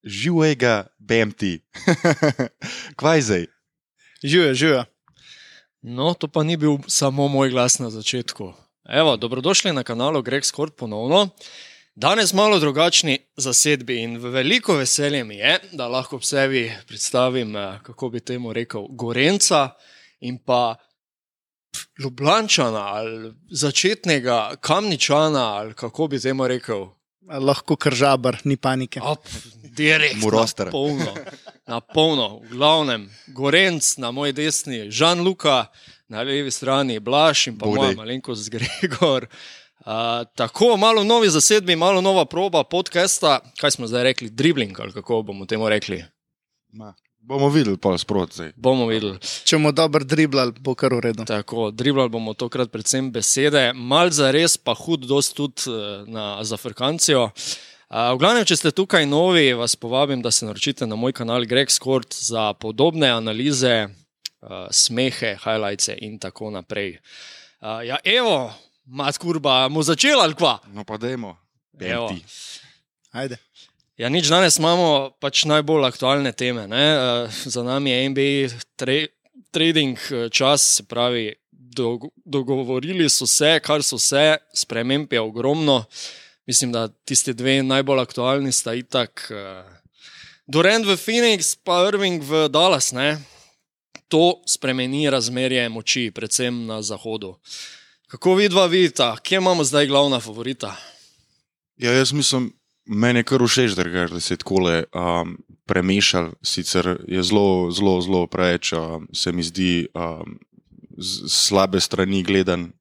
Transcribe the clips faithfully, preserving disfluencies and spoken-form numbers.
živega B M T. Kvaj zdaj? Živijo, živijo. No, to pa ni bil samo moj glas na začetku. Evo, dobrodošli na kanalu Greg Skort ponovno. Danes malo drugačni zasedbi in veliko veselje mi je, da lahko ob sebi predstavim, kako bi temu rekel, Gorenca in pa Ljubljančana ali začetnega Kamničana ali kako bi temu rekel. Lahko Kržabar, ni panike. Op, direkt, Muroster. na polno, na polno. V glavnem, Gorenc na moji desni, Žan Luka, na levi strani Blaž in pa Bog moja daj. malenkost Gregor. Uh, tako, malo novi zasedbi, malo nova proba podcasta. Kaj smo zdaj rekli? Dribling ali kako bomo temu rekli? Ma, bomo videli pol sprot zdaj. Bomo videli. Če bomo dobro driblali, bo kar v redu. Tako, driblali bomo tokrat predvsem besede, mal za res pa hud dost tudi uh, na zafrkancijo. Uh, v glavnem, če ste tukaj novi, vas povabim, da se naročite na moj kanal Greg Skort za podobne analize, uh, smehe, highlights in tako naprej. Uh, ja, evo, mat kurba, mu začela ali kva? No pa dajmo. B M Evo. T. Ajde. Ja, nič, danes imamo pač najbolj aktualne teme. Ne? Uh, za nami je N B A tra- trading uh, čas, se pravi, dog- dogovorili so se, kar so se, sprememb je ogromno. Mislim, da tisti dve najbolj aktualni sta itak uh, Durant v Phoenix pa Irving v Dallas. Ne? To spremeni razmerje moči, predvsem na zahodu. Kako vidva vidita? Kje imamo zdaj glavna favorita? Ja, jaz mislim, meni je kar všeč, drugače, da se je takole um, premešal. Sicer je zelo, zelo, zelo preveč, um, se mi zdi, um, z slabe strani gledan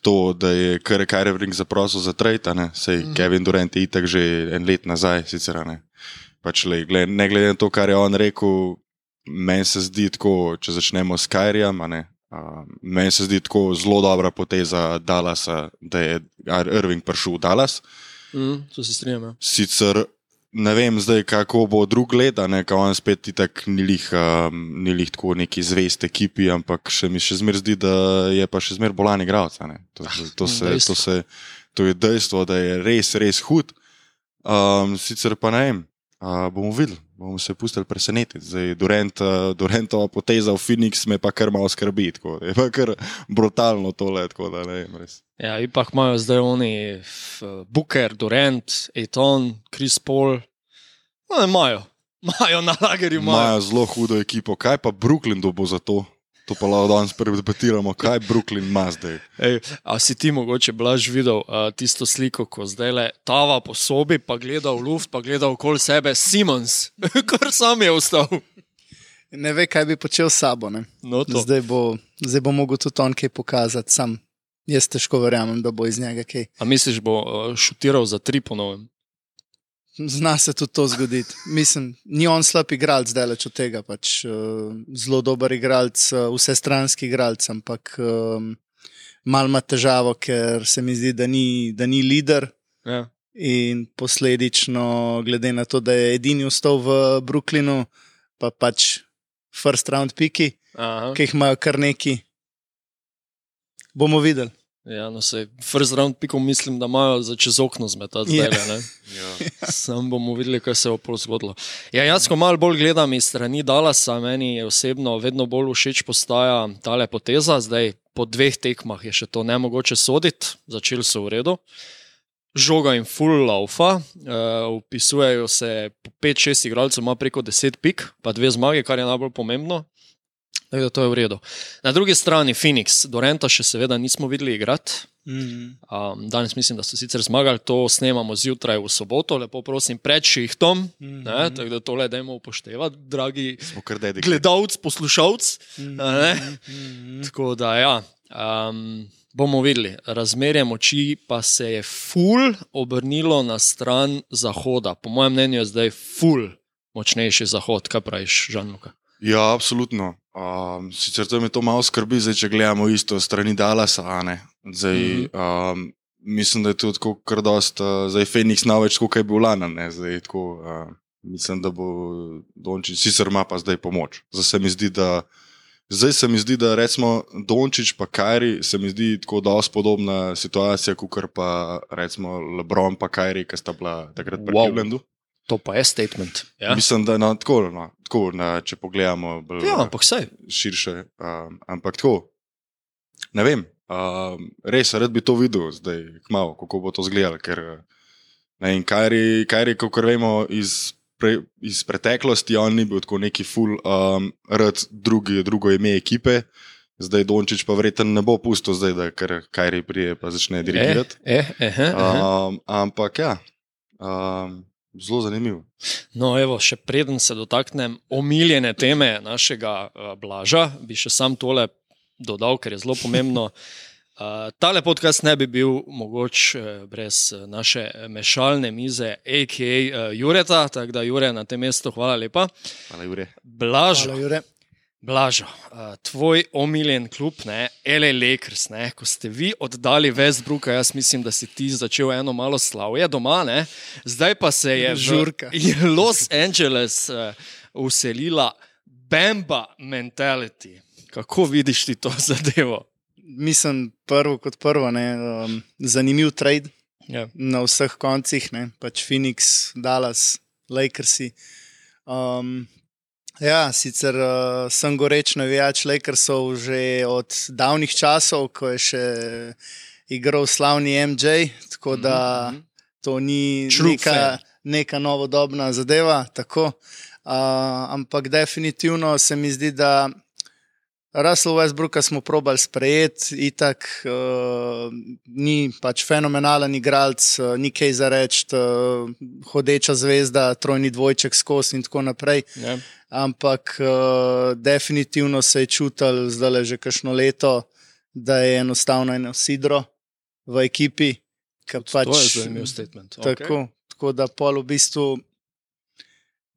to, da je kar Kyrie Irving zaprosil za trade, a ne, sej mm-hmm. Kevin Durant je itak že en let nazaj, sicer, a ne. Pač le, gled, ne glede na to, kar je on rekel, meni se zdi tako, če začnemo s Kyriem, a ne, uh, meni se zdi tako zelo dobra poteza Dallasa, da je Irving prišel v Dallas. Mm, to se strinjam. Ja. Sicer ne vem zdaj, kako bo drug let, a ne, kao on spet itak ni lih, um, ni lih tako neki zvest ekipi, ampak še mi še zmer zdi, da je pa še zmer bolan igralec, a ne. To, to, se, to, se, to je dejstvo, da je res, res hud. Um, sicer pa ne vem, uh, bomo videli, bomo se pustili presenetiti. Zdaj, Durant, uh, Durantova poteza v Phoenix me pa kar malo skrbi, tako, je pa kar brutalno tole, tako da ne vem, res. Ja, ipak imajo zdaj oni f, Booker, Durant, Ayton, Chris Paul. No, ne imajo. Imajo na lagerju, imajo. Imajo zelo hudo ekipo. Kaj pa Brooklyn bo za to? To pa lahko danes predebatiramo. Kaj Brooklyn ima zdaj? Ej, a si ti mogoče, Blaž, videl uh, tisto sliko, ko zdaj le tava po sobi, pa gleda v luft, pa gleda okoli sebe Simons, kar sam je ostal. Ne ve, kaj bi počel s sabo. Ne? No, to. Zdaj bo, zdaj bo mogel tudi on kaj pokazati sam. Jaz težko verjamem, da bo iz njega kaj. A misliš, bo uh, šutiral za tri po novem? Zna se tudi to zgoditi. Mislim, ni on slab igralec daleč od tega, pač uh, zelo dober igralec, uh, vsestranski igralec, ampak um, mal ima težavo, ker se mi zdi, da ni, da ni lider Ja. in posledično, glede na to, da je edini ostal v Brooklynu, pa pač first round piki, Aha. ki jih imajo kar neki. Bomo videli. Ja, no sej, first round pikov mislim, da imajo za čez okno zmetati Ja. zdaj, ne? Ja. Sam bomo videli, kaj se bo pol zgodilo. Ja, jaz, ko malo bolj gledam iz strani Dallasa, meni je osebno vedno bolj všeč postaja tale poteza. Zdaj, po dveh tekmah je še to nemogoče soditi, začeli so v redu. Žoga in full laufa, uh, vpisujejo se po pet šest igralcev, ima preko deset pik, pa dve zmage, kar je najbolj pomembno. Tako da to je v redu. Na drugi strani Phoenix, Duranta še seveda nismo videli igrati. Mm. Um, danes mislim, da so sicer zmagali, to snemamo zjutraj v soboto, lepo prosim, pred šihtom, Mhm. ne, tako da tole dajmo upoštevati, dragi Smo kar dedikovani. gledalc, poslušalc. Ne? Mm. Tako da ja, um, bomo videli. Razmerje moči pa se je ful obrnilo na stran zahoda. Po mojem mnenju je zdaj ful močnejši zahod. Kaj praviš, Žan Luka? Ja, absolutno. Um, sicer to me to malo skrbi, zdaj, če gledamo isto strani Dallasa, a ne. Zdaj, Mhm. um, mislim, da je to tako kar dost, uh, zdaj Phoenix na več, kot je bil lani, ne. Zdaj, tako, uh, mislim, da bo Dončić, sicer ima pa zdaj pomoč. Zdaj se mi zdi, da Zdaj se mi zdi, da recimo Dončić pa Kyrie se mi zdi tako dosti podobna situacija, kot pa recimo LeBron pa Kyrie, ki sta bila takrat pri Wow. Clevelandu. To pa je statement. Ja, Mislim, da no, tako, no, tako na, če pogledamo bolj ja ampak saj. širše. Um, ampak tako, ne vem, um, res rad bi to videl zdaj, kmalu, kako bo to izgledalo. Ker ne vem, Kyrie, Kyrie, kakor vemo iz, pre, iz preteklosti, on ni bil tako neki full um, rad drugi, drugo ime ekipe. Zdaj Dončić pa verjetno ne bo pustil zdaj, da ker Kyrie prije pa začne dirigirati. Eh, eh, eh, eh. Um, ampak ja, um, zelo zanimivo. No, evo, še preden se dotaknem omiljene teme našega uh, Blaža, bi še sam tole dodal, ker je zelo pomembno. Uh, tale podcast ne bi bil mogoč uh, brez uh, naše mešalne mize, a k a. Uh, Jureta, tako da Jure na tem mestu, hvala lepa. Hvala, Jure. Blažo, Hvala, Jure. Blažo, uh, tvoj omiljen klub, ne, L A Lakers, ne, ko ste vi oddali Westbrooka, jaz mislim, da si ti začel eno malo slavje doma, ne, zdaj pa se je Žurka. v Los Angeles uh, uselila Bamba mentality. Kako vidiš ti to zadevo? Mislim, prvo kot prvo, ne, um, zanimiv trade Ja. na vseh koncih, ne, pač Phoenix, Dallas, Lakersi. Um, ja, sicer uh, sem goreč navijač Lakersov že od davnih časov, ko je še igral slavni M J, tako da to ni True neka, fan. neka novodobna zadeva, tako. Uh, ampak definitivno se mi zdi, da Russell Westbrooka smo probali sprejeti, itak uh, ni pač fenomenalen igralec, uh, ni kaj za reči, uh, hodeča zvezda, trojni dvojček skozi in tako naprej. Ja. Ampak uh, definitivno se je čutil zdaj že kakšno leto, da je enostavno eno sidro v ekipi. Pač, To je zanimiv statement. tako, tako da pol v bistvu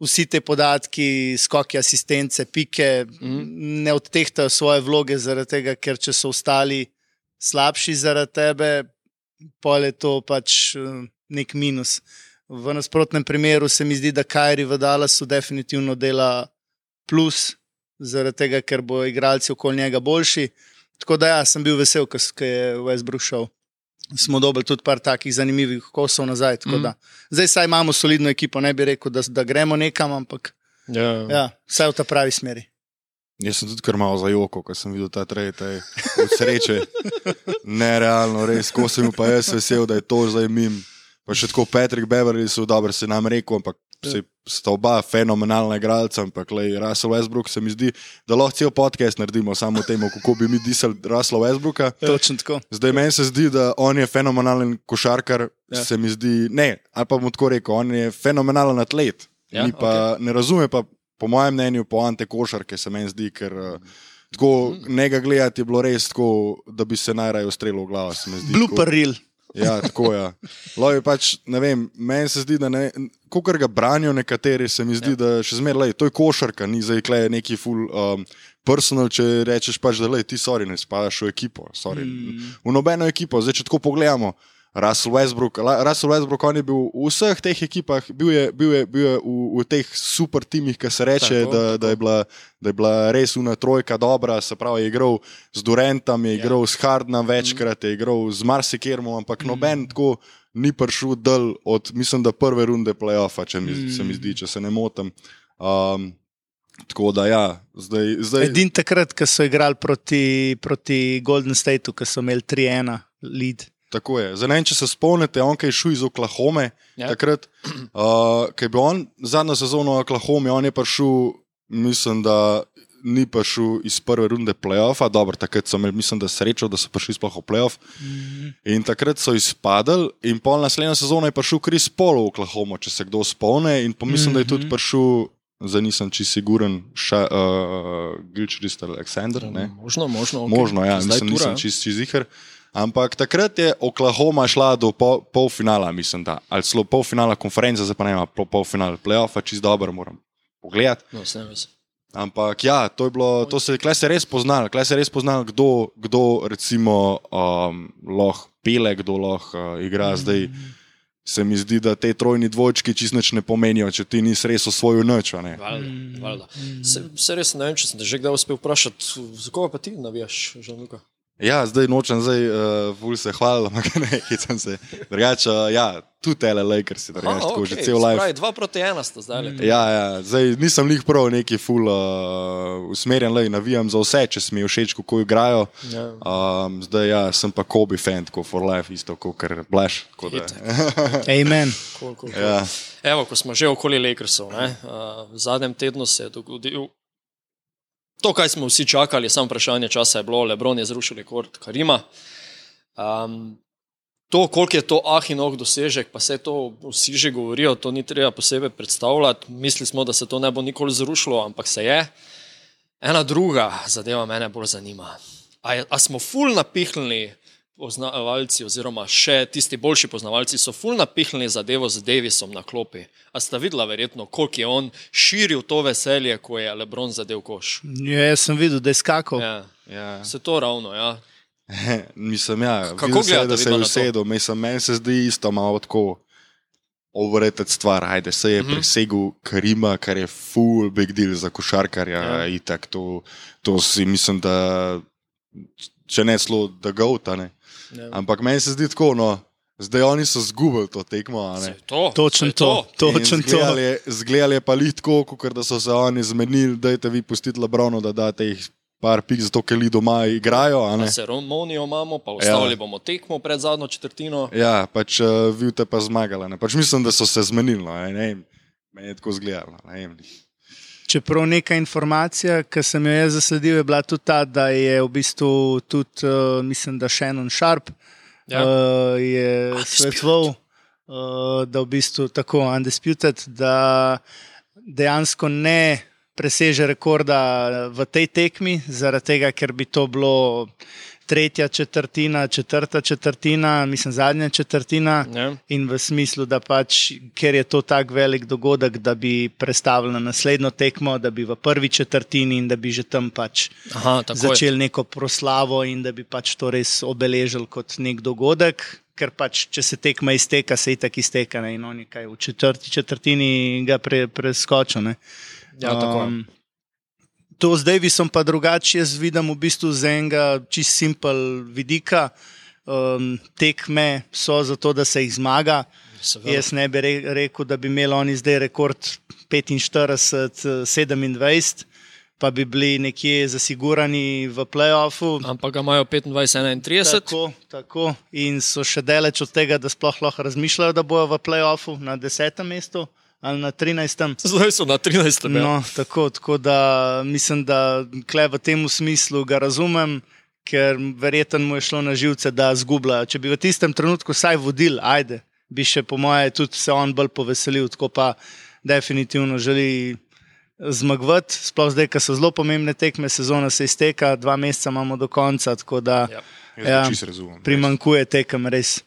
vsi te podatki, skoki asistence, pike, Mhm. ne odtehtajo svoje vloge zaradi tega, ker če so ostali slabši zaradi tebe, pol je to pač eh, nek minus. V nasprotnem primeru se mi zdi, da Kyrie v Dallasu definitivno dela plus, zaradi tega, ker bo igralci okoli njega boljši. Tako da ja, sem bil vesel, ko ko je Westbrook šel. Smo dobili tudi par takih zanimivih kosov nazaj. tako da. Zdaj saj imamo solidno ekipo, ne bi rekel, da, da gremo nekam, ampak Ja. ja, vse v ta pravi smeri. Jaz sem tudi kar malo zajokal, ko sem videl ta trade, taj, od sreče. Nerealno, res, ko sem bil pa jaz vesel, da je to zdaj mim. Pa še tako Patrick Beverly so dobro se nam rekel, ampak se sta oba fenomenalna igralca, ampak lej, Russell Westbrook se mi zdi, da lahko cel podcast naredimo samo o tem, kako bi mi disali Russell Westbrooka. Točno tako. Zdaj meni se zdi, da on je fenomenalen košarkar, Ja. se mi zdi, ne, ali pa bom tako rekel, on je fenomenalen atlet. Ja, Ni pa, ne razume pa, po mojem mnenju, poante košarke se meni zdi, ker uh, tako njega gledati je bilo res tako, da bi se najraje ustrelil v glavo, se mi zdi. Blooper reel. Ja, tako je. Ja. Pač, ne vem, meni se zdi, da ne, kakor ga branijo nekateri, se mi zdi, ja. da še zmeraj, to je košarka, ni zdaj klej neki full um, personal, če rečeš pač, da lej, ti sorry, ne spadaš v ekipo, sorry. Mm. V nobeno ekipo, zdaj če tako pogledamo, Russell Westbrook, Russell Westbrook, on je bil v vseh teh ekipah, bil je, bil je, bil je v, v teh super timih, ki se reče, tako, da, tako. Da, je bila, da je bila res una trojka dobra, se pravi, je igral z Durantom, je igral ja. s Hardnom večkrat, je igral z Marsikermom, ampak mm. noben tako ni prišel dol od, mislim, da prve runde play-offa, če mi, mm. se mi zdi, če se ne motim. Um, tako da ja, zdaj... zdaj... Edin takrat, ko so igrali proti, proti Golden Stateu, ko so imeli tri ena lead. Tako je. Zdaj, ne vem, če se spomnite, on kaj je šel iz Oklahome, ja. takrat, uh, kaj bi on zadnjo sezono v Oklahome, on je prišel, mislim, da ni prišel iz prve runde play-offa, dobro, takrat so imeli, mislim, da srečo, da so prišli sploh v play-off, mm-hmm. in takrat so izpadali in pol naslednjo sezono je prišel Chris Paul v Oklahoma, če se kdo spomne, in pa mislim, mm-hmm. da je tudi prišel, zdaj nisem čisto siguren, uh, Gilchrist Alexander, ne? Možno, možno. Okay. Možno, ja, mislim, nisem čisto čist ziher. Ampak takrat je Oklahoma šla do pol, polfinala, mislim, da. Ali celo polfinala konference, zdaj pa ne ima pol, polfinala play-offa, čist dobro moram pogledati. No, s tem ves. Ampak ja, to je bilo, to se, klej se res poznal, klej se res poznal, kdo, kdo recimo um, lahko pele, kdo lahko uh, igra. Zdaj se mi zdi, da te trojni dvojčki čist nič ne pomenijo, če ti nisi res osvojil nič, a ne? Valjda, valjda. Se, se res ne vem, če sem te že kdaj uspel vprašati, za koga pa ti navijaš, Žanluka? Ja, zdaj nočem, zdaj uh, ful se hvalil, ampak ne, hecam se. Drugače, uh, ja, tudi L A Lakers, drugače, Aha, tako okej, že cel life. spravi, dva proti ena sta zdaj. Mm. Ja, ja, zdaj nisem lih prav neki ful uh, usmerjen, lej, navijam za vse, če mi je všeč, kako igrajo. Ja. Um, zdaj ja, sem pa Kobe fan, tako for life, isto kot kar Blaž. Amen. Cool, cool, cool. Ja. Evo, ko smo že okoli Lakersov, ne, uh, v zadnjem tednu se je dogodil to, kaj smo vsi čakali, samo vprašanje časa je bilo, LeBron je zrušil rekord Karima. Um, to, koliko je to ah in oh dosežek, pa se to vsi že govorijo, to ni treba posebej predstavljati. Mislili smo, da se to ne bo nikoli zrušilo, ampak se je. Ena druga zadeva mene bolj zanima. A, je, a smo ful napihnili poznavalci oziroma še tisti boljši poznavalci so ful napihnili zadevo z Davisom na klopi. A sta videla verjetno, koliko je on širil to veselje, ko je LeBron zadev koš? Ja, jaz sem videl, da je skakal. Ja, Ja. se to ravno, ja. Mislim, ja, Kako videl se, gledate da se je vidva na to? usedel, mislim, meni se zdi isto malo tako overrated stvar, ajde, se je Mhm. mm-hmm. presegel Karima, kar je full big deal za košarkarja, Ja. ja. Itak, to, to si mislim, da če ne slo, da gauta, ne. Ja. Ampak meni se zdi tako, no, zdaj oni so zgubili to tekmo, a Se ne. je to, Točno se je to, točno to. Zgledali je pa lih tako, kot da so se oni zmenili, dajte vi pustiti LeBronu, da date jih par pik, zato ker li doma igrajo, a ne. Pa ceremonijo imamo, pa ustavili ja. bomo tekmo pred zadnjo četrtino. Ja, pač uh, vi te pa zmagali, ne. Pač mislim, da so se zmenili, no, ne vem, meni je tako zgledalo, ne vem. Čeprav neka informacija, ki sem jo jaz zasledil, je bila tudi ta, da je v bistvu tudi, uh, mislim, da Shannon Sharp Ja. uh, je Undisputed. svetoval, uh, da v bistvu tako undisputed, da dejansko ne preseže rekorda v tej tekmi, zaradi tega, ker bi to bilo tretja četrtina, četrta četrtina, mislim zadnja četrtina. Ja. In v smislu, da pač, ker je to tak velik dogodek, da bi prestavili na naslednjo tekmo, da bi v prvi četrtini in da bi že tam pač Aha, tako začeli neko proslavo in da bi pač to res obeležili kot nek dogodek, ker pač, če se tekma izteka, se itak izteka, ne, in oni kaj v četrti četrtini ga pre, preskočijo, ne. Ja, tako je. Um, To z Davisom pa drugače jaz vidim v bistvu z enega čist simpel vidika. Um, tekme so zato, da se jih zmaga. Seveda. Jaz ne bi re- rekel, da bi imeli oni zdaj rekord petinštirideset sedemindvajset, pa bi bili nekje zasigurani v play-offu. Ampak ga imajo petindvajset enaintrideset. Tako, tako. In so še daleč od tega, da sploh lahko razmišljajo, da bojo v play-offu na desetem mestu ali na trinajstem. Zdaj so na trinajstem. Ja. No, tako, tako da mislim, da kle v tem smislu ga razumem, ker verjetno mu je šlo na živce, da zgublja. Če bi v tistem trenutku vsaj vodil, ajde, bi še po moje tudi se on bolj poveselil, tako pa definitivno želi zmagovati, sploh zdaj, ker so zelo pomembne tekme, sezona se izteka, dva meseca imamo do konca, tako da Ja. Jaz Ja, ja, čisto razumem. primankuje tekem res.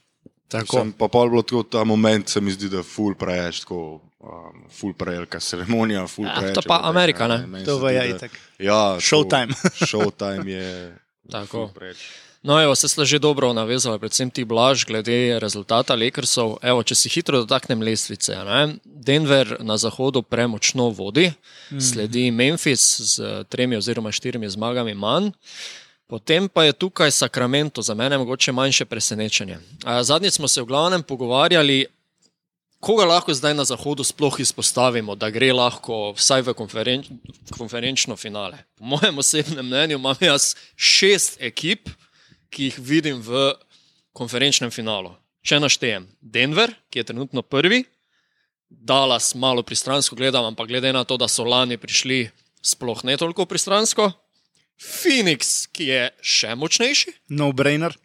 Tako. Sem pa pol bilo tako, ta moment se mi zdi, da ful preveč, tako um, ful prevelika ceremonija, ful Ja, preveč. to pa Amerika, ne? Meni To se pa zdi, je da- itak. Ja, to- Showtime. Showtime je Tako. ful preveč. No, evo, se ste že dobro navezali, predvsem ti Blaž, glede rezultata Lakersov. Evo, če si hitro dotaknem lestvice. Ne? Denver na zahodu premočno vodi, mm. sledi Memphis z tremi oziroma štirimi zmagami manj. Potem pa je tukaj Sacramento, za mene mogoče manjše presenečenje. A, Zadnjič smo se v glavnem pogovarjali, koga lahko zdaj na zahodu sploh izpostavimo, da gre lahko vsaj v konferenč, konferenčno finale. Po mojem osebnem mnenju imam jaz šest ekip, ki jih vidim v konferenčnem finalu. Če naštejem Denver, ki je trenutno prvi, Dallas malo pristransko gledam, ampak glede na to, da so lani prišli sploh ne toliko pristransko, Phoenix, ki je še močnejši, No-brainer.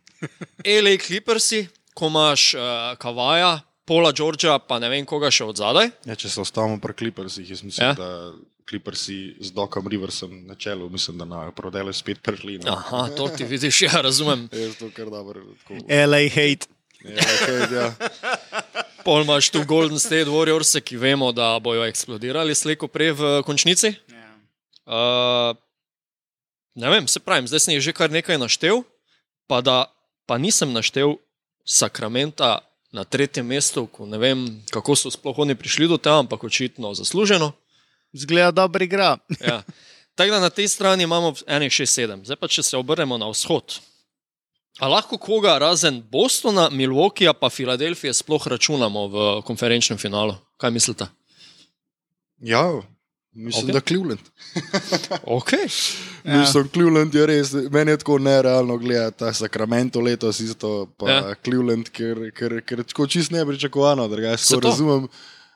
L A Clippersi, ko imaš uh, Kavaja, Paula Georgea, pa ne vem koga še od zadaj. Ja, če se ostavimo pri Clippersih, jaz mislim, Ja. ja. da Clippersi z Docom Riversom na čelu, mislim, da na prodele spet prišli. No. Aha, to ti vidiš, ja, razumem. Jaz to kar dobro. Tako, L A hate. ja, okay, ja. Pol imaš tu Golden State Warriors, ki vemo, da bojo eksplodirali slejko prej v končnici. Uh, ne vem, se pravim, zdaj sem jih že kar nekaj naštel, pa da pa nisem naštel Sacramenta na tretjem mestu, ko ne vem, kako so sploh oni prišli do tega, ampak očitno zasluženo. Zgleda dobro igra. Ja. Tako da na tej strani imamo enih šest sedem. Zdaj pa, če se obrnemo na vzhod. A lahko koga razen Bostona, Milwaukeeja pa Filadelfije sploh računamo v konferenčnem finalu? Kaj mislite? Ja, mislim, Ok. da Cleveland. Ok. Ja. Mislim, Cleveland je res, meni je tako nerealno gledati ta Sacramento letos isto, pa Ja. ja. Cleveland, ker, ker, ker tako čist nepričakovano, drugače Se tako to. razumem,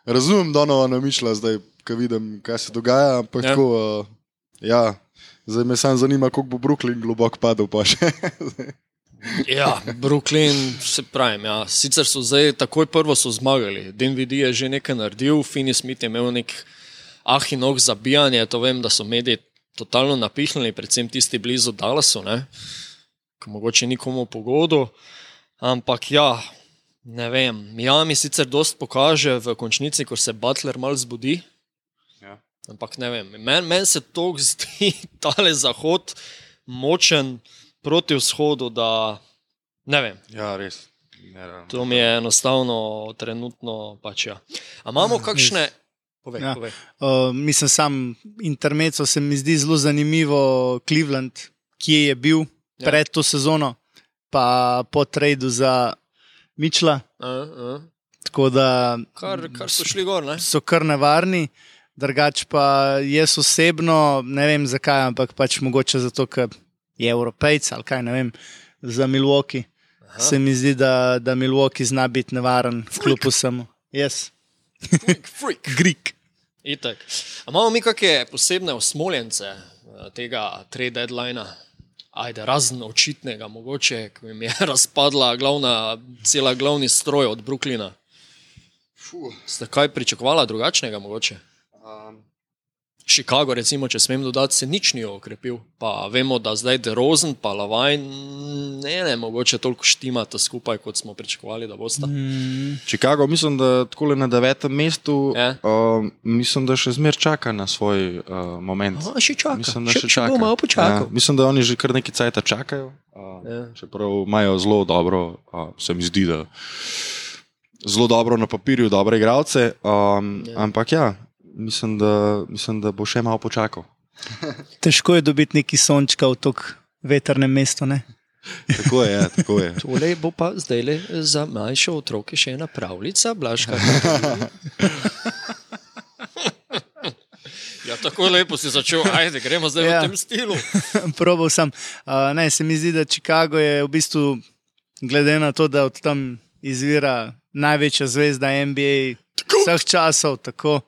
razumem Donovana Mišla zdaj, ko vidim, kaj se dogaja, ampak Ja. ja. tako, uh, ja, zdaj me samo zanima, koliko bo Brooklyn globoko padel pa še. Ja, Brooklyn, se pravim, ja. Sicer so zdaj takoj prvo so zmagali. Dinwiddie je že nekaj naredil, Finney Smith je imel nek ah in oh zabijanje, to vem, da so mediji totalno napihnili, predvsem tisti blizu Dallasu, ne, ko mogoče nikomu pogodu, ampak ja, ne vem, Miami sicer dost pokaže v končnici, ko se Butler mal zbudi, Ja. ampak ne vem, meni men se to zdi tale zahod močen proti vzhodu, da ne vem, Ja, res. Nerealno. to mi je enostavno trenutno pač ja. A imamo kakšne... Povej, Ja. povej. Uh, mislim, sam intermezzo se mi zdi zelo zanimivo Cleveland, kje je bil Ja. ja. pred to sezono, pa po tradu za Mitchella. A, a. Tako da Kar, kar so šli gor, ne? so kar nevarni. Drugač pa jaz osebno ne vem zakaj, ampak pač mogoče zato, ker je Evropejc ali kaj ne vem, za Milwaukee. Aha. Se mi zdi, da, da Milwaukee zna biti nevaren v klubu samo. Yes. Freak, freak. Greek. Itak. A imamo mi kakšne posebne osmoljence eh, tega trade deadlinea? Ajde, razen očitnega, mogoče, ko jim je razpadla glavna, cela glavni stroj od Brooklyna. Fuh, Ste kaj pričakovala drugačnega mogoče? um, Chicago, recimo, če smem dodati, se nič ni okrepil. Pa vemo, da zdaj DeRozan pa Lavine ne, ne, mogoče toliko štimata skupaj, kot smo pričakovali, da bosta. Mm, Chicago, mislim, da tako na devetem mestu, Ja. uh, mislim, da še zmer čaka na svoj uh, moment. Aha, še čaka. Mislim, da Še- še še čaka. bo malo počakal. Ja, mislim, da oni že kar nekaj cajta čakajo. Uh, Ja. Čeprav imajo zelo dobro, uh, se mi zdi, da zelo dobro na papirju, dobre igralce. Um, Ja. ja. Ampak ja, mislim da, mislim, da bo še malo počakal. težko je dobiti neki sončka v tako vetrnem mestu. Ne? Tako je, ja, tako je. Tole bo pa zdaj le za manjše otroke še ena pravljica, Blažka. Ja, tako lepo si začel, ajde, gremo zdaj Ja. v tem stilu. Probal sem. Uh, ne, se mi zdi, da Chicago je v bistvu, glede na to, da od tam izvira največja zvezda N B A vseh časov, tako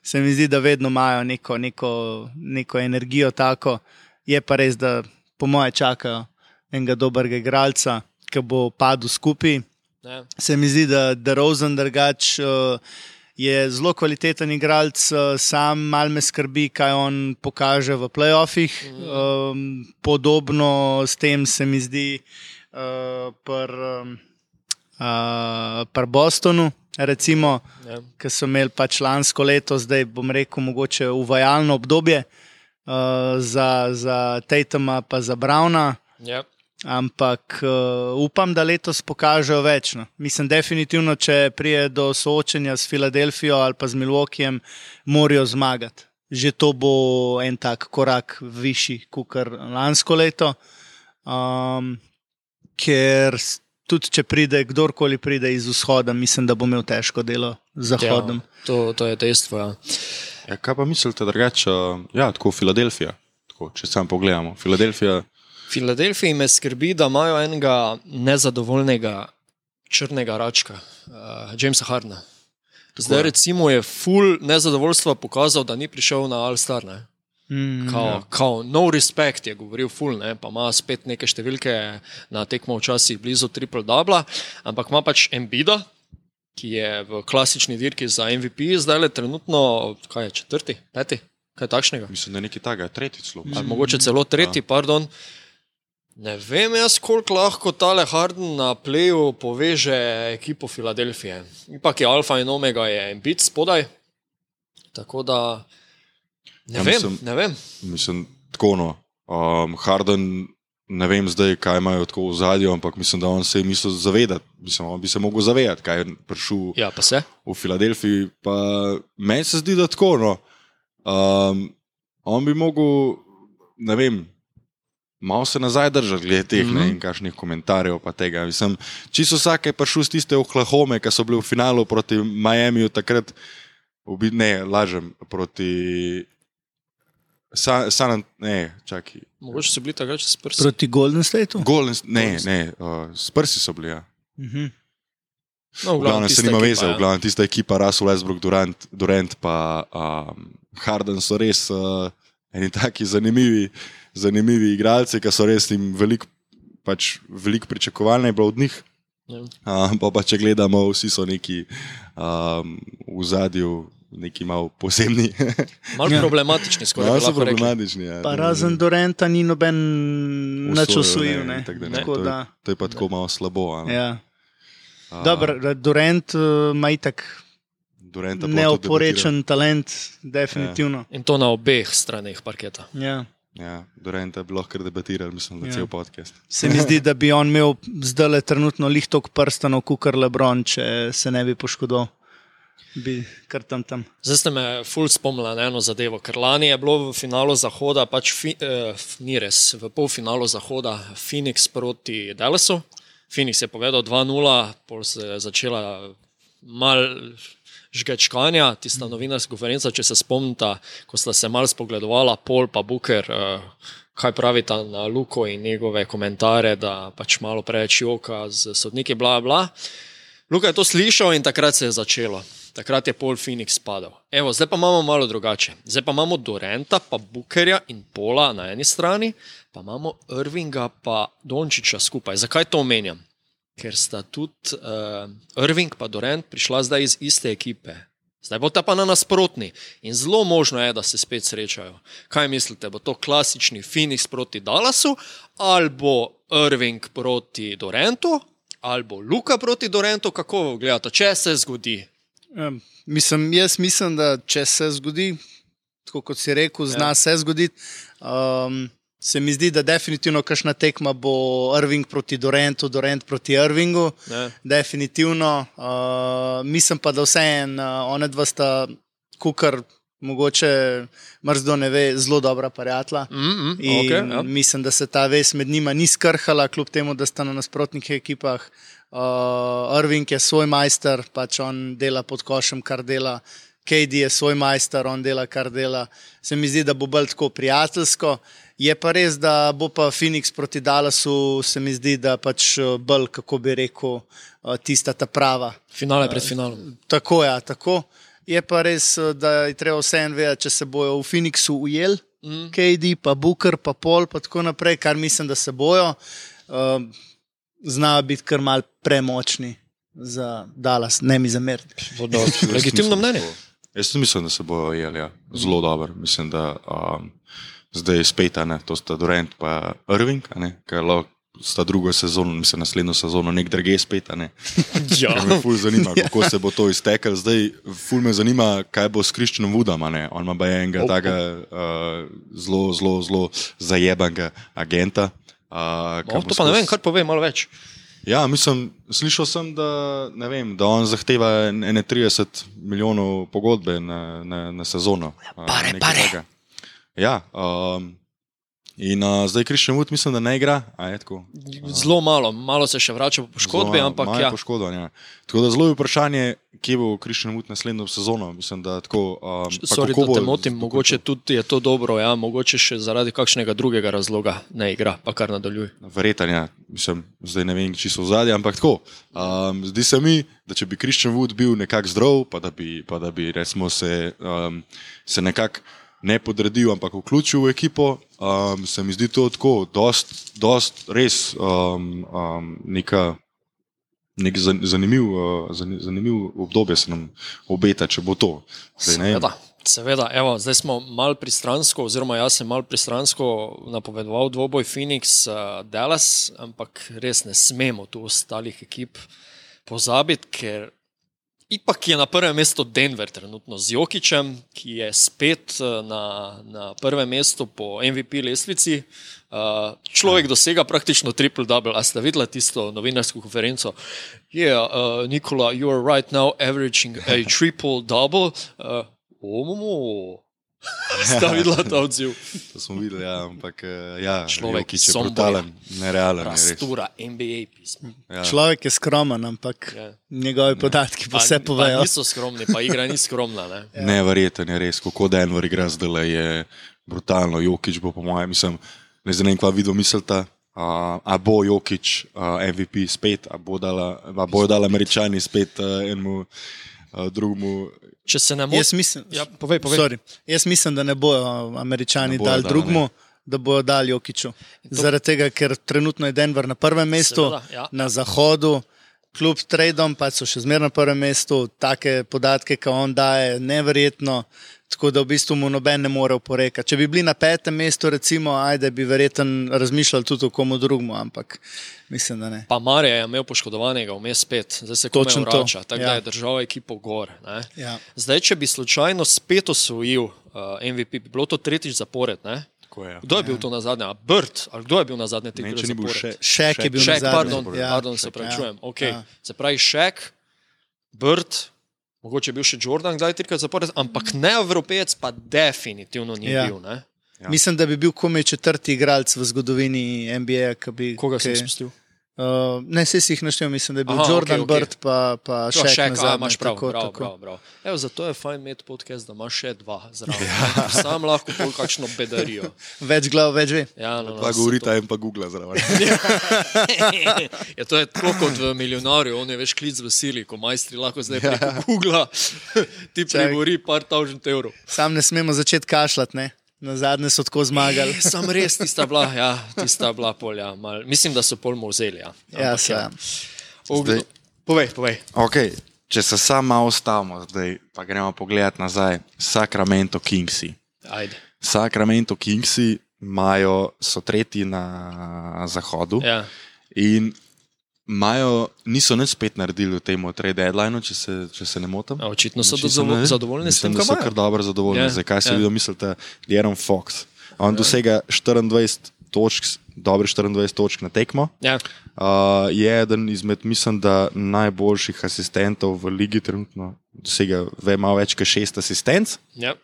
se mi zdi, da vedno imajo neko, neko, neko energijo tako. Je pa res, da po moje čakajo enega dobrega igralca, ki bo padel skupaj. Ne. Se mi zdi, da DeRozan drugač uh, je zelo kvaliteten igralec, uh, sam mal me skrbi, kaj on pokaže v playoffih. Um, podobno s tem se mi zdi uh, pri um, uh, pr Bostonu, recimo, Ja. ki so imeli pač lansko leto, zdaj bom rekel, mogoče uvajalno obdobje uh, za, za Tatuma pa za Browna. Ja. Ampak uh, upam, da letos pokažejo več. No. Mislim, definitivno, če prije do soočenja s Filadelfijo ali pa z Milwaukeejem, morajo zmagati. Že to bo en tak korak višji kot lansko leto. Um, ker s- tudi, če pride kdorkoli pride iz vzhoda, mislim, da bo imel težko delo z zahodom. Ja, to, to je dejstvo. Ja. Ja, kaj pa mislite drugače? Uh, ja, tako Filadelfija, tako, če sam pogledamo. Filadelfija, Filadelfiji me skrbi, da imajo enega nezadovoljnega črnega račka, uh, Jamesa Hardna. Zdaj, je. recimo, je full nezadovoljstva pokazal, da ni prišel na All-Star. Ne? Mm, Kao, Ja. kao, no respect je govoril full, ne? Pa ima spet neke številke na tekmo včasih blizu triple-dubla, ampak ima pač Embida, ki je v klasični dirki za M V P, zdaj le trenutno, kaj je, četrti, peti, kaj takšnega. mislim, da je nekaj takega, tretji celo. Ali mogoče celo tretji, pardon. Ne vem jaz, koliko lahko tale Harden na pleju poveže ekipo Filadelfije. Ipak je alfa in omega, je Embiid spodaj. Tako da ne Ja, vem, mislim- ne vem. Mislim, tako no. Um, Harden, ne vem zdaj, kaj imajo tako v zadju, ampak mislim, da on se je mislil zavedati. Mislim, on bi se mogel zavedati, kaj je prišel Ja, pa se. v Filadelfiji. Pa meni se zdi, da tako no. Um, on bi mogel, ne vem, malo se nazaj držati glede teh mm-hmm. ne, in kakšnih komentarjev pa tega. Mislim, čisto vsak je prišel z tiste Oklahome, ki so bili v finalu proti Miamiju takrat, ne, lažem, proti San, San ne, čakaj. Mogoče so bili takrat s Prsi. Proti Golden Stateu? Golden, ne, ne, uh, s Prsi so bili, ja. Mhm. No, v glavnem se nima veze, v glavnem tista ekipa Russell Westbrook, Durant, Durant pa um, Harden so res uh, eni taki zanimivi, zanimivi igralci, ki so res jim veliko pač, velik pričakovalne je bilo od njih. Ja. Um, pa pa če gledamo, vsi so neki um, v zadju, neki malo posebni. Malo problematični, skoraj malo so problematični. Ja, pa razen Duranta ni noben nič osvojil. To, to je pa tako malo slabo. Ja. Dobro, Durant ima uh, itak neoporečen talent, definitivno. Ja. In to na obeh straneh parketa. Ja. Ja, Duranta bi lahko debatiral, mislim, da ja. Cel podcast. Se mi zdi, da bi on imel zdaj trenutno lih toliko prstanov, kukar LeBron, če se ne bi poškodoval. Bi kar tam tam. Zdaj ste me ful spomnili na eno zadevo, ker lani je bilo v finalu Zahoda, pač fi, eh, ni res, v polfinalu Zahoda Phoenix proti Dallasu. Phoenix je povedal dva nula, pol se je začela mal žgečkanja, tista novinarska konferenca, če se spomnite, ko sta se mal spogledovala Paul pa Booker, eh, kaj pravita na Luko in njegove komentare, da pač malo preveč joka z sodniki, bla bla. Luka je to slišal in takrat se je začelo. Takrat je Paul Phoenix padal. Evo, zdaj pa imamo malo drugače. Zdaj pa imamo Duranta, pa Bookerja in Paula na eni strani, pa imamo Irvinga pa Dončića skupaj. Zakaj to omenjam? Ker sta tudi uh, Irving pa Durant prišla zdaj iz iste ekipe. Zdaj bo ta pa na nasprotni. In zelo možno je, da se spet srečajo. Kaj mislite, bo to klasični Phoenix proti Dallasu, ali bo Irving proti Durantu, ali bo Luka proti Durantu, kako gledate, če se zgodi? Um, mislim, jaz mislim, da če se zgodi, tako kot si rekel, zna ja. se zgoditi. Um, se mi zdi, da definitivno kakšna tekma bo Irving proti Durantu, Durant proti Irvingu. Ja. Definitivno. Uh, mislim pa, da vseeno, uh, one dva sta kukar, mogoče mrzdo ne ve, zelo dobra prijatelja. Mm-hmm, in okay, ja. mislim, da se ta vez med njima ni skrhala, kljub temu, da sta na nasprotnih ekipah. Uh, Irving je svoj majster, pač on dela pod košem, kar dela. K D je svoj majster, on dela, kar dela. Se mi zdi, da bo bolj tako prijateljsko. Je pa res, da bo pa Phoenix proti Dallasu, se mi zdi, da pač bolj, kako bi rekel, tista ta prava. Finale pred finalom. Uh, tako, ja, tako. Je pa res, da je treba vseeno vedeti, če se bojo v Phoenixu ujeli, mm. K D, pa Booker, pa Paul, pa tako naprej, kar mislim, da se bojo. Uh, znajo biti kar mal premočni za Dallas, ne mi zameriti. Legitimno mnenje. Jaz mislim, da se bojo ujeli, ja. Zelo dobro. Mislim, da um, zdaj spet, ne, to sta Durant pa Irving, ker lahko sta drugo sezono, mislim, naslednjo sezono nek drage spet, ne. Ja. Me ful zanima, kako se bo to iztekel. Zdaj ful me zanima, kaj bo s Christianom Woodom, ne. On ima baje enega oh, takega uh, zelo, zelo, zelo zajebanega agenta. Uh, oh, to pa ne vem, kar pove malo več. Ja, mislim, slišal sem, da, ne vem, da on zahteva ene trideset milijonov pogodbe na, na, na sezono. Pare, pare. Tega. Ja, um, in uh, zdaj Christian Wood mislim, da ne igra. A je tako? Zelo malo, malo se še vrača po poškodbi, zelo, ampak ja. Poškodban, ja. Tako da zelo je vprašanje, kje bo Christian Wood naslednjo sezono. Mislim, da tako... Um, Sorry, da te motim, mogoče tudi je to dobro, ja, mogoče še zaradi kakšnega drugega razloga ne igra, pa kar nadaljuje. Verjetno, ja. Mislim, zdaj ne vem, či so v zadnji, ampak tako. Um, zdi se mi, da če bi Christian Wood bil nekako zdrav, pa da bi, pa da bi resmo se, um, se nekako ne podredil, ampak vključil v ekipo, um, se mi zdi to tako, dost, dost res um, um, neka, nek zanimiv, uh, zanimiv obdobje se nam obeta, če bo to. Zdaj, seveda, seveda. Evo, zdaj smo mal pristransko, oziroma jaz sem mal pristransko napovedoval dvoboj Phoenix uh, Dallas, ampak res ne smemo tu ostalih ekip pozabiti, ker ipak je na prvem mestu Denver trenutno z Jokićem, ki je spet na, na prvem mestu po M V P lestvici. Uh, človek dosega praktično triple-double. A ste videli tisto novinarsko konferenco? Yeah, uh, Nikola, you are right now averaging a triple-double. Uh, oh, Sta videla ta odziv. To smo videli, ja, ampak eh, ja, Človek Jokić je Somboja. brutalen, nerealen. je res. Rastura, N B A pismo. Ja. Človek je skromen, ampak Ja. njegovi podatki pa vse Pa povejo. niso skromni, pa igra ni skromna. Ne? Ja. Neverjeten je res, kako Denver igra zdaj, je brutalno. Jokić bo po mojem, mislim, ne znam, kva video mislite. Uh, a bo Jokić uh, M V P spet, a bo dala, a bojo dali Američani spet uh, enemu uh, drugemu. Če se ne Jaz motim, mislim, ja, povej, povej. sorry, jaz mislim, da ne bojo Američani Ne bojo dali dali, drugmu, da bojo dali Jokiću. Zaradi tega, ker trenutno je Denver na prvem mestu, Seveda, ja. na zahodu, kljub tradom pa so še zmeraj na prvem mestu, take podatke, ki on daje, neverjetno. Tako da v bistvu mu noben ne more oporekati. Če bi bili na petem mestu, recimo, ajde, bi verjetno razmišljali tudi o komu drugmu, ampak mislim, da ne. Pa Marija je imel poškodovanega vmes spet, zdaj se komaj Točno to, vrača, tako ja. da je držal ekipo gor. Ne? Ja. Zdaj, če bi slučajno spet osvojil uh, M V P, bi bilo to tretjič zapored. Ne? Tako je. Kdo je bil to na zadnje? A Bird? Ali kdo je bil na zadnje Ne, tekme če ni bil zapored? še. Šek je bil Šek, nazadnje. pardon, Ja, pardon, se Šek, pravičujem. ja. Okay. Ja. Se pravi Šek, Bird, mogoče je bil še Jordan, kdaj trikrat zapored, ampak ne Evropejec, pa definitivno ni Ja. bil. Ne? Ja. Mislim, da bi bil komaj četrti igralec v zgodovini N B A. Ki bi, Koga ki, sem spustil? Uh, ne, vse si jih naštel, mislim, da je bil Aha, Aha, Jordan, okej, okej. okay, okay. Bird pa, pa To, Šek. Šek, a, nazadnje, imaš prav, tako, prav, tako. prav, prav. Evo, zato je fajn imeti podcast, da imaš še dva zraven. Ja. Sam lahko pol kakšno bedarijo. Več glav, več ve. Ja, no, no, Pa se govorita en pa Google zraven. Ja, to je tako kot v milijonarju, on je veš klic v sili, ko majstri lahko zdaj preko Google ti Čak. prigovori par tavžent evrov. Sam ne smemo začeti kašljati, ne? Na zadnje so tako zmagali. E, sam res, tista bila, ja, tista bila polja. Mal, mislim, da so pol mu vzeli. Ja, Ja, Ampak, se. ja. Ja. Ogl- Zdaj- Povej, povej. Okay, če se samo malo ustavimo, zdaj pa gremo pogledat nazaj. Sacramento Kingsi. Ajde. Sacramento Kingsi imajo, so tretji na zahodu Ja. in imajo, niso nič spet naredili v tem trade deadlineu, če se, če se ne motim. A, očitno so Čisto dozvo- ne. zadovoljni s tem, Mislim, da kar so imajo. kar dobro zadovoljni. Ja, Yeah. Zdaj, kaj si ja. videl, mislite, De'Aaron Fox. On yeah. dosega štiriindvajset točk, dobre štiriindvajset točk na tekmo. Ja. Uh, je eden izmed, mislim, da najboljših asistentov v ligi trenutno. Dosega ve, malo več kot šest asistenc. Ja.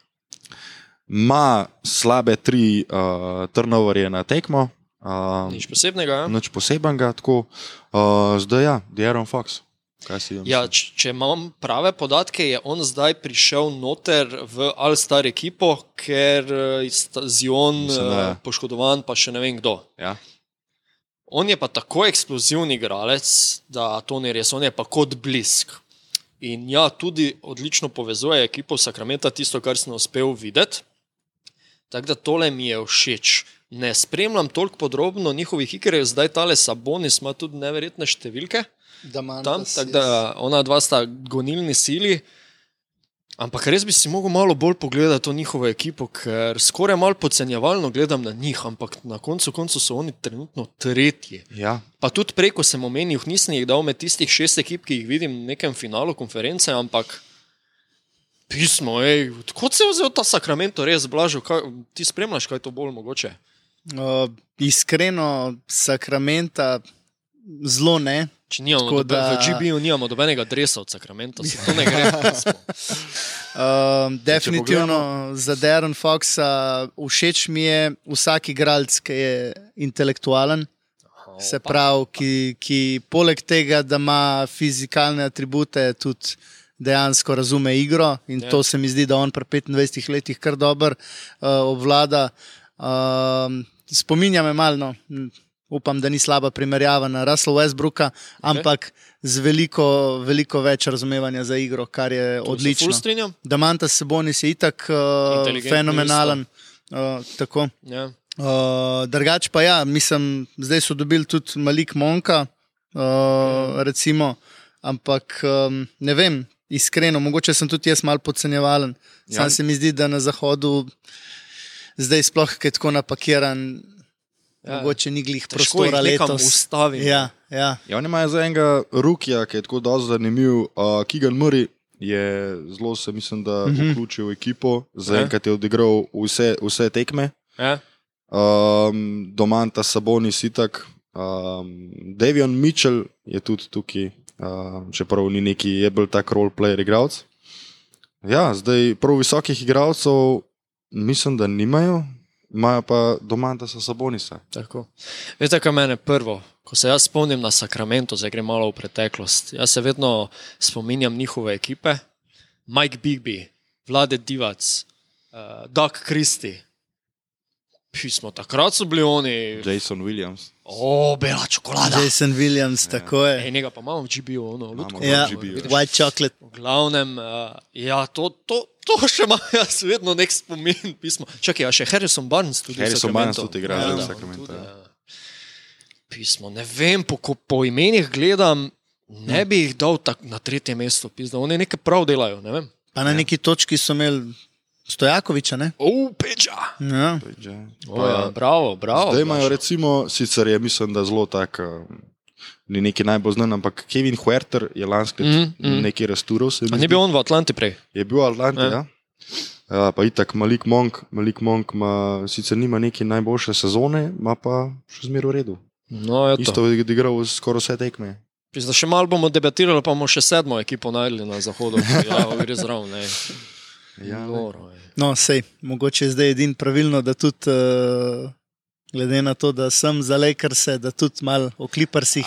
Ma slabe tri uh, turnoverje na tekmo. Uh, Nič posebnega. Ja? Nič posebenega, tako. Uh, zdaj ja, De'Aaron Fox. Kaj si Ja, č- če imam prave podatke, je on zdaj prišel noter v All-Star ekipo, ker eh, sta Zion Mislim, da eh, je. poškodovan, pa še ne vem kdo. Ja. On je pa tako eksplozivni igralec, da to ni res, on je pa kot blisk. In ja, tudi odlično povezuje ekipo Sacramento, tisto, kar sem uspel videti. Tako da tole mi je všeč. Ne spremljam toliko podrobno njihovih iger, zdaj tale Sabonis ima tudi neverjetne številke. Tam, tako da ona dva sta gonilni sili. Ampak res bi si mogel malo bolj pogledati to njihovo ekipo, ker skoraj malo podcenjevalno gledam na njih, ampak na koncu koncu so oni trenutno tretji. Ja. Pa tudi preko sem omenil, nisem jih dal med tistih šest ekip, ki jih vidim v nekem finalu konference, ampak pismo, ej, kot se je vzel ta Sacramento, res blažil, kaj, ti spremljaš, kaj je to bolj mogoče? Uh, iskreno, Sakramenta zelo ne. Če nimamo, Tako dobe, da- v G B-ju nimamo dobenega dresa od Sacramento, se to ne gre. pismo. Uh, definitivno za De'Aaron Foxa všeč mi je vsak igralec, ki je intelektualen. Se pravi, ki, ki poleg tega, da ima fizikalne atribute, tudi dejansko razume igro in Ja. to se mi zdi, da on pri petindvajsetih letih kar dobro uh, obvlada. Uh, spominja me malo, no, m, upam, da ni slaba primerjava na Russell Westbrooka, ampak z veliko, veliko več razumevanja za igro, kar je To se odlično. ful strinjam. Damantas Sabonis je itak uh, Inteligentni fenomenalen. Uh, tako. Ja. Uh, drugač pa ja, mislim, zdaj so dobili tudi Malik Monka, uh, recimo, ampak um, ne vem, iskreno, mogoče sem tudi jaz malo podcenjevalen. Sam Ja. se mi zdi, da na zahodu zdaj sploh kaj tako napakiran, Ja. mogoče ni glih Težko jih prostora nekam letos. ustavimo. Ja, ja. Ja, oni imajo za enega rukija, ki je tako dosti zanimiv. Uh, Keegan Murray je zelo, se mislim, da uh -huh. vključil v ekipo. Zaenkrat je odigral vse, vse tekme. Ja. Um, Domanta Sabonis itak. Um, Davion Mitchell je tudi tukaj, um, čeprav ni neki, je bil tak roleplayer igralec. Ja, zdaj prav visokih igralcev mislim, da nimajo, imajo pa Domantasa Sabonisa. Tako. Veste, kaj mene prvo, ko se jaz spomnim na Sacramento, zdaj gre malo v preteklost, jaz se vedno spominjam njihove ekipe, Mike Bigby, Vlade Divac, uh, Doug Christie, pismo, takrat so bili oni... Jason Williams. O, bela čokolada. Jason Williams, ja. Tako je. Ej, njega pa imamo v G B U, ono, lutko. Ja, G B U. white chocolate. V glavnem, uh, ja, to, to, to še ima jaz vedno nek spomin pismo. Čakaj, a še Harrison Barnes tudi Harrison v Barnes Sacramento. tudi igra Ja, v da, Sacramento, tudi, ja. ja. Pismo, ne vem, po, ko po imenih gledam, ne bi jih dal tak, na tretje mesto, pismo, oni nekaj prav delajo, ne vem. Pa na neki točki so imeli Stojakoviča, ne? O, Peča! Ja. O, ja, bravo, bravo. Zdaj imajo Blaž. recimo, sicer je mislim, da zelo tak, um, ni neki najbolj znan, ampak Kevin Huerter je lansko let Mm, mm. nekaj razturil. se mi A ni zdi. bil on v Atlanti prej? Je bil v Atlanti, Ja. ja. Ja, pa itak Malik Monk, Malik Monk ima, sicer nima neke najboljše sezone, ima pa še zmeraj v redu. No, je to. Isto je odigral skoraj vse tekme. Pizda, še malo bomo debatirali, pa bomo še sedmo ekipo najdli na zahodu. Ja, gre zraven, ne. Ja, ne. Noro je. No, sej, mogoče je zdaj edin pravilno, da tudi, uh, glede na to, da sem za Lakerse, da tudi malo o Clippersih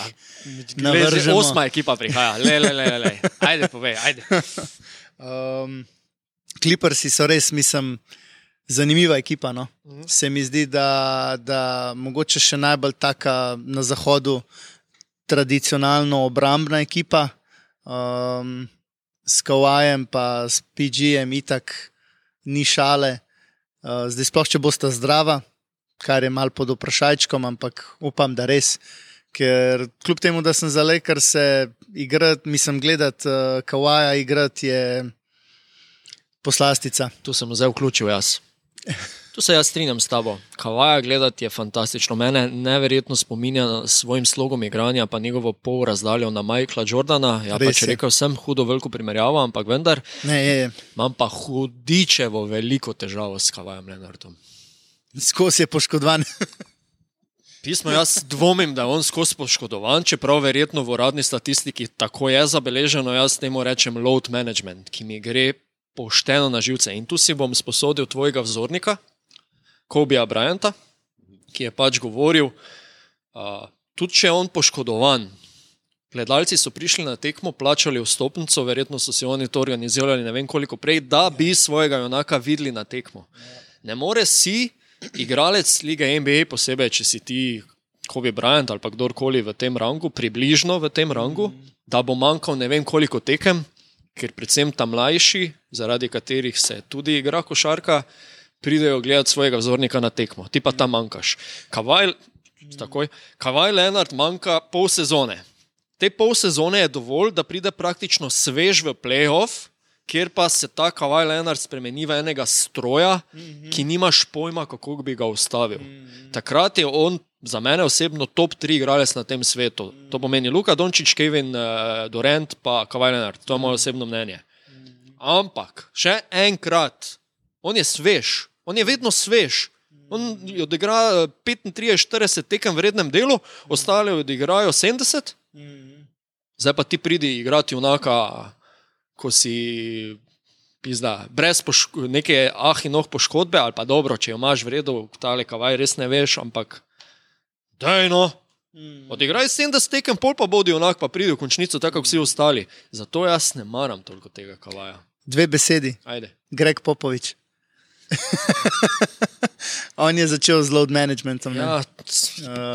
navržemo. Osma ekipa prihaja, le, le, le, le. Ajde, povej, ajde. Um, Clippersi so res, mislim, zanimiva ekipa. No? Mhm. Se mi zdi, da, da mogoče še najbolj taka na zahodu tradicionalno obrambna ekipa. Um, s Kawajem pa s P G-jem itak ni šale. Uh, zdaj sploh, če bosta zdrava, kar je mal pod vprašajčkom, ampak upam, da res. Ker kljub temu, da sem za Lakers igrati, mislim gledati uh, Kawaja igrati je poslastica. Tu sem zdaj vključil jaz. Tu se jaz strinjam s tabo. Kavaja gledati je fantastično. Mene neverjetno spominja s svojim slogom igranja, pa njegovo pol razdaljo na Michaela Jordana. Ja, Res pa če je. rekel sem hudo veliko primerjavo, ampak vendar Ne, je, je. imam pa hudičevo veliko težavo s Kavajem Leonardom. Skozi je poškodovan. Pismo, jaz dvomim, da je on skozi poškodovan, čeprav verjetno v uradni statistiki tako je zabeleženo, jaz temu rečem load management, ki mi gre pošteno na živce. In tu si bom sposodil tvojega vzornika, Kobija Bryanta, ki je pač govoril, uh, tudi če je on poškodovan, gledalci so prišli na tekmo, plačali vstopnico, verjetno so si oni to organizirali ne vem koliko prej, da bi svojega junaka videli na tekmo. Ne more si igralec lige N B A, posebej, če si ti Kobe Bryant ali pa kdorkoli v tem rangu, približno v tem rangu, da bo manjkal ne vem koliko tekem, ker predvsem tam mlajši, zaradi katerih se tudi igra košarka, pridejo gledati svojega vzornika na tekmo. Ti pa tam manjkaš. Kavaj, takoj, Kavaj Leonard manjka pol sezone. Te pol sezone je dovolj, da pride praktično svež v playoff, kjer pa se ta Kavaj Leonard spremeni v enega stroja, ki nimaš pojma, kako bi ga ustavil. Takrat je on za mene osebno top tri igralec na tem svetu. To pomeni Luka Dončić, Kevin uh, Durant pa Kavaj Leonard. To je moje osebno mnenje. Ampak, še enkrat, on je svež. On je vedno svež. On odigra petintrideset štirideset tekem v rednem delu, ostali odigrajo sedemdeset. Zdaj pa ti pridi igrati junaka, ko si pizda, brez poško- neke ah in oh poškodbe, ali pa dobro, če jo imaš v redu, tale Kavaj res ne veš, ampak daj no, odigraj sedemdeset tekem, pol pa bodi junak, pa pridi v končnico, tako kot vsi ostali. Zato jaz ne maram toliko tega Kavaja. Dve besedi. Ajde. Greg Popovič. On je začel z load managementom. ne? Ja,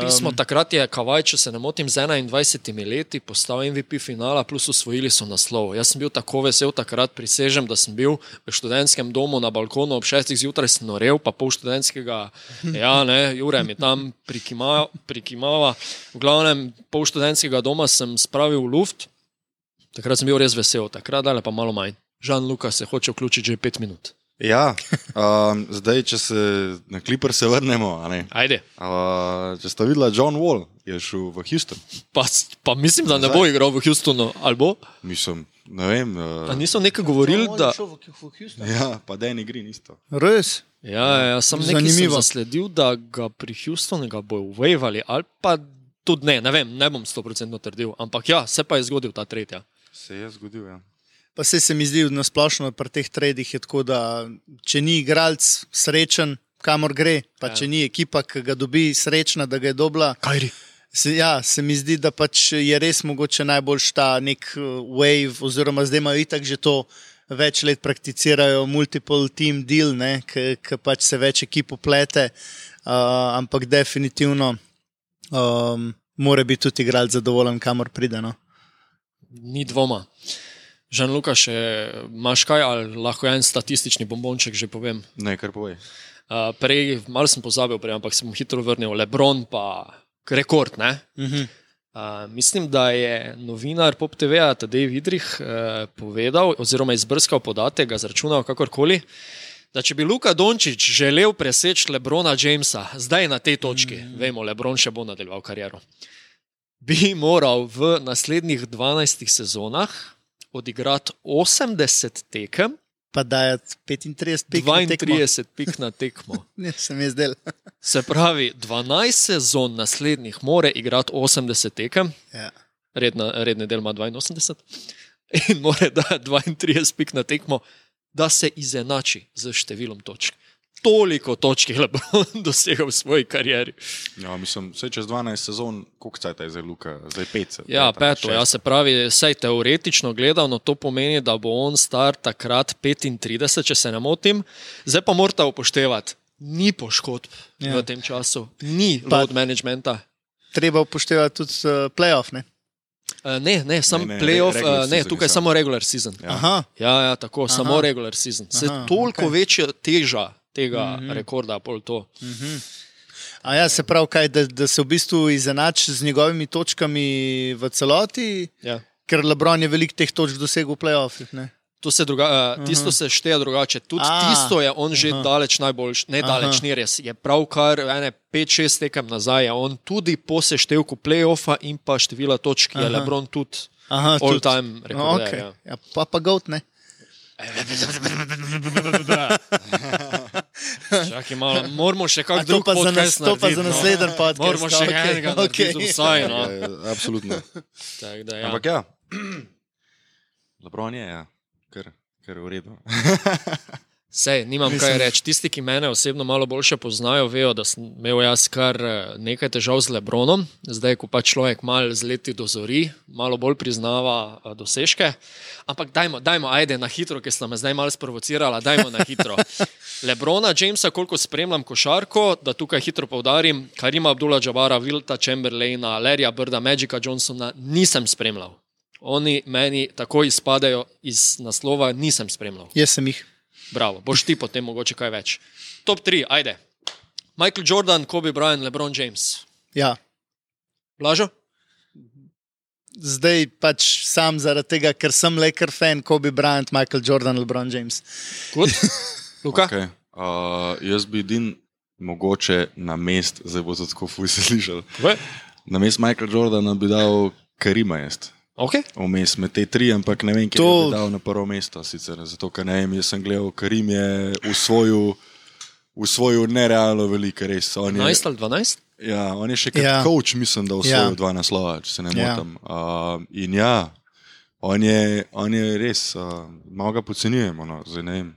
pismo, takrat je Kavaj, če se ne motim, z enaindvajsetimi leti postal M V P finala, plus osvojili so naslov. Jaz sem bil tako vesel takrat, prisežem, da sem bil v študentskem domu na balkonu ob šestih zjutraj, sem norel, pa pol študentskega, ja ne, Jure mi tam prikimava, prikimava. V glavnem, pol študentskega doma sem spravil v luft, takrat sem bil res vesel, takrat dale pa malo manj. Žan Luka se hoče vključiti že pet minut. Ja, um, zdaj, če se na Clippers se vrnemo, a ne? Ajde. Uh, če ste videla, John Wall je šel v Houston. Pa, pa mislim, da ne bo igral v Houstonu, ali bo? Mislim, ne vem. Uh, A niso nekaj govorili, da... ja, pa Danny Green isto. Res? Ja, ja, sem nekaj sem Zanimivo. zasledil, da ga pri Houstonu ga bojo wavali, ali pa tudi ne, ne vem, ne bom sto procentno trdil, ampak ja, se pa je zgodil ta tretja. Se je zgodil, ja. Pa se se mi zdi nasplošno pri teh tradih je tako, da če ni igralec srečen, kamor gre, pa ja. Če ni ekipa, ki ga dobi srečna, da ga je dobila. Kajri. Se, ja, se mi zdi, da pač je res mogoče najboljš ta nek wave, oziroma zdaj imajo itak že to več let prakticirajo multiple team deal, ki pač se več ekip uplete, uh, ampak definitivno um, mora biti tudi igralec zadovoljen, kamor pride. No? Ni dvoma. Žan-Luka, še imaš kaj, ali lahko en statistični bombonček že povem? Ne, kar povej. Uh, prej, malo sem pozabil prej, ampak se bom hitro vrnil. LeBron pa rekord, ne? Uh-huh. Uh, mislim, da je novinar Pop T V-a Tadej Vidrih uh, povedal oziroma izbrskal podatek, ga zračunal kakorkoli, da če bi Luka Dončić želel preseči LeBrona Jamesa, zdaj na tej točki, mm. vemo, LeBron še bo nadaljeval kariero, bi moral v naslednjih dvanajstih sezonah odigrati osemdeset tekem, pa dajati petintrideset pik dvaintrideset pik na tekmo. Ne, se mi je zdel. Se pravi, dvanajst sezon naslednjih more igrati osemdeset tekem, ja. Redna, redni del ima dvainosemdeset in more dati dvaintrideset pik na tekmo, da se izenači z številom točk. Toliko točk je LeBron dosegel v svoji karieri. Ja, mislim, vse čez dvanajst sezon, koliko cajta je zdaj Luka? Zdaj pet. Ja, peto, ja, se pravi, saj teoretično gledano to pomeni, da bo on star takrat petintrideset, če se ne motim. Zdaj pa morate upoštevati, ni poškodb ja. V tem času, ni pa load managementa. Treba upoštevati tudi uh, playoff, ne? Uh, ne, ne, sam ne, ne, playoff, re, uh, ne, tukaj je samo regular season. Ja, Aha. ja, ja tako, Aha. samo regular season. Se Aha, toliko okay. večja teža tega mm-hmm. rekorda, pol to. Mm-hmm. A ja, se pravi, kaj, da, da se v bistvu izenači z njegovimi točkami v celoti, ja. Ker LeBron je veliko teh točk dosegel v playoffih, ne? To se druga, uh, tisto se šteje drugače. Tudi A, tisto je on že aha. Daleč najboljš, ne daleč, aha. Ni res. Je pravkar ene pet šest tekem nazaj, je on tudi po seštevku play-offa in pa števila točk je LeBron tudi aha, all tudi. Time rekorder. Okay. Ja. Ja, pa pa goat, ne? Čakaj malo, moramo še kak drug podcast narediti. To pa za naslednji podcast. Moramo še okay, enega okay. narediti vsaj, no. Ja, ja, absolutno. Tak, da, ja. Ampak ja, LeBron je, ja. Ker, ker je v redu. Sej, nimam Mislim. Kaj reči. Tisti, ki mene osebno malo boljše poznajo, vejo, da sem imel jaz kar nekaj težav z LeBronom. Zdaj, ko pa človek malo z leti dozori, malo bolj priznava dosežke. Ampak dajmo, dajmo, ajde na hitro, ker sta me zdaj malo sprovocirala, dajmo na hitro. LeBrona Jamesa, koliko spremljam košarko, da tukaj hitro poudarim, Karima Abdul-Jabara, Wilta Chamberlaina, Larrya Birda, Magica Johnsona, nisem spremljal. Oni meni tako izpadajo iz naslova, nisem spremljal. Jaz sem jih. Bravo, boš ti potem mogoče kaj več. Top tri, ajde. Michael Jordan, Kobe Bryant, LeBron James. Ja. Blažo? Zdaj pač sam zaradi tega, ker sem Laker fan, Kobe Bryant, Michael Jordan, LeBron James. Good. Luka? Okay. Uh, jaz bi din mogoče na mest, zdaj bo to tako fuj se slišal, na mest Michael Jordana bi dal Karima jest. Okay. Vmes med te tri, ampak ne vem, kje to... bi dal na prvo mesto sicer, zato, ker ne vem, jaz sem gledal, Karim je usvojil, usvojil nerealno veliko, res. enajst ali dvanajst? Ja, on je še kot ja. Coach, mislim, da usvojil ja. dva naslova, če se ne ja. motam. Uh, in ja, on je, on je res, uh, malo ga podcenjujemo, no, zdaj ne vem.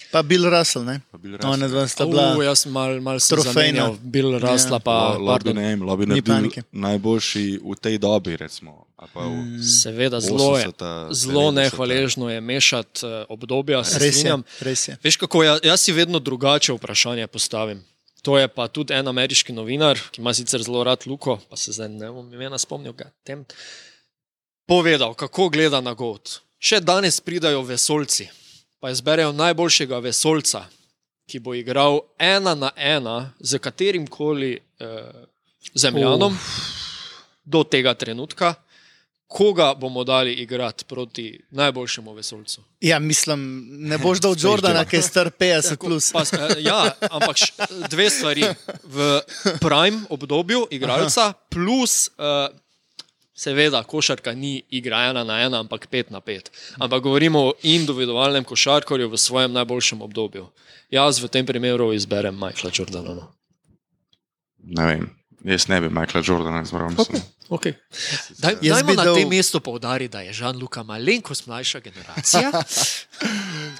Pa Bill Russell, ne? Pa Bill Russell. One dva sta bila uh, jaz mal, mal sem zamenjal Bill Russella, ja. pa Lobi ne vem, Lobi ne bil najboljši v tej dobi, recimo. Pa v mm. Seveda, zelo je, zelo nehvaležno je mešati obdobja, se strinjam. Res je. Veš kako, jaz, jaz si vedno drugače vprašanje postavim. To je pa tudi en ameriški novinar, ki ima sicer zelo rad Luko, pa se zdaj ne bom imena spomnil ga tem, povedal, kako gleda na GOAT. Še danes pridajo vesoljci, pa izberejo najboljšega vesoljca, ki bo igral ena na ena z katerimkoli eh, zemljanom uh. do tega trenutka, koga bomo dali igrati proti najboljšemu vesoljcu. Ja, mislim, ne boš dal Jordana, ki je star petdeset plus. Pa, ja, ampak dve stvari. V prime obdobju igralca plus... Eh, Seveda, košarka ni igra ena na ena, ampak pet na pet. Ampak govorimo o individualnem košarkarju v svojem najboljšem obdobju. Jaz v tem primeru izberem Michaela Jordana. Ne vem. Jaz ne bi Michaela Jordana izbral. Okay. Okay. Daj, Jaz dajmo bi na dal- tem mestu poudariti, da je Jean-Luca malenkost mlajša generacija.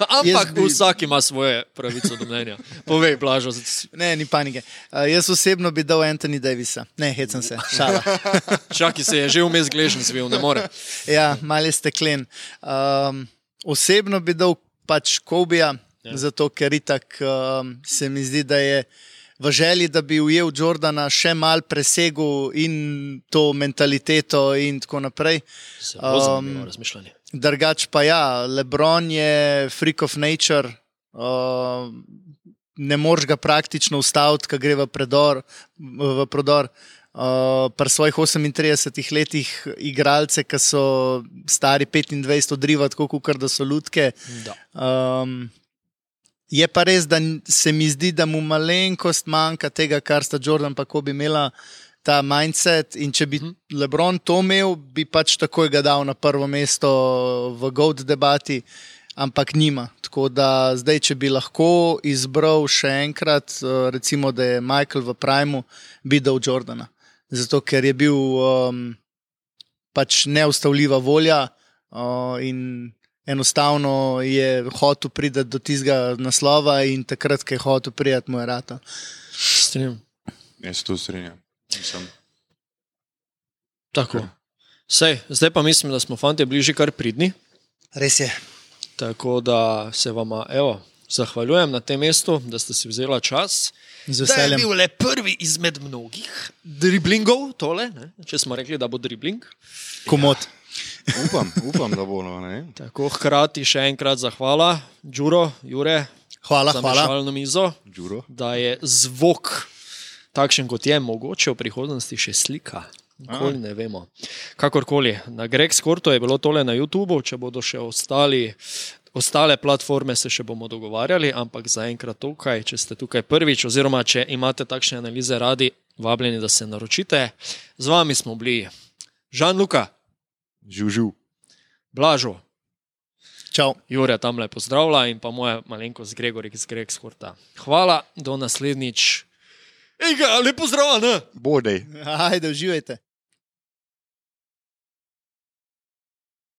Ampak Jaz bi- vsak ima svoje pravico do mnenja. Povej, Blažo. Ne, ni panike. Uh, jaz osebno bi dal Anthony Davisa. Ne, hecam se, šala. Čaki se je že vmes gležen zvil, ne more. Ja, mal je steklen. Um, osebno bi dal pač Kobija, ja. Zato ker itak um, se mi zdi, da je v želji, da bi ujel Jordana še mal presegel in to mentaliteto in tako naprej. Zelo zanimivo razmišljanje. Drugač pa ja, LeBron je freak of nature, uh, ne moreš ga praktično ustaviti, ko gre v, predor, v prodor. Uh, pri svojih osemintridesetih letih igralce, ki so stari petindvajset odriva, tako kot da so lutke. Da. Um, je pa res, da se mi zdi, da mu malenkost manjka tega, kar sta Jordan pa Kobe imela, ta mindset, in če bi LeBron to imel, bi pač takoj ga dal na prvo mesto v GOAT debati, ampak nima. Tako da zdaj, če bi lahko izbral še enkrat, recimo, da je Michael v primu, bi dal Jordana. Zato, ker je bil um, pač neustavljiva volja uh, in enostavno je hotel priti do tistega naslova in takrat, ko je hotel priti, mu je rata. Strinjam. Jaz se tu strinjam. Mislim. Tako. Sej, zdaj pa mislim, da smo fantje bližje kar pridni. Res je. Tako da se vama, evo, zahvaljujem na tem mestu, da ste si vzela čas. Z Da je veseljem. bil le prvi izmed mnogih driblingov, tole, ne? Če smo rekli, da bo dribling. Komod. Upam, upam, da bo. No, ne? Tako, hkrati še enkrat zahvala, Đuro, Jure, Hvala, za hvala. mešalno mizo, Đuro. da je zvok takšen, kot je, mogoče v prihodnosti še slika. Nikoli ne vemo. Kakorkoli, na Greg Skorto je bilo tole na YouTubu, če bodo še ostali, ostale platforme, se še bomo dogovarjali, ampak zaenkrat tukaj, če ste tukaj prvič, oziroma če imate takšne analize radi, vabljeni, da se naročite. Z vami smo bili Jean-Luca, Živ, živ. Blažo, Čau. Jure tamle pozdravlja in pa moja malenkost Gregorik z Greg Skorta. Hvala, do naslednjič. Ej, ga, lepo zdrav, ne? Bodej. Ajde, uživajte.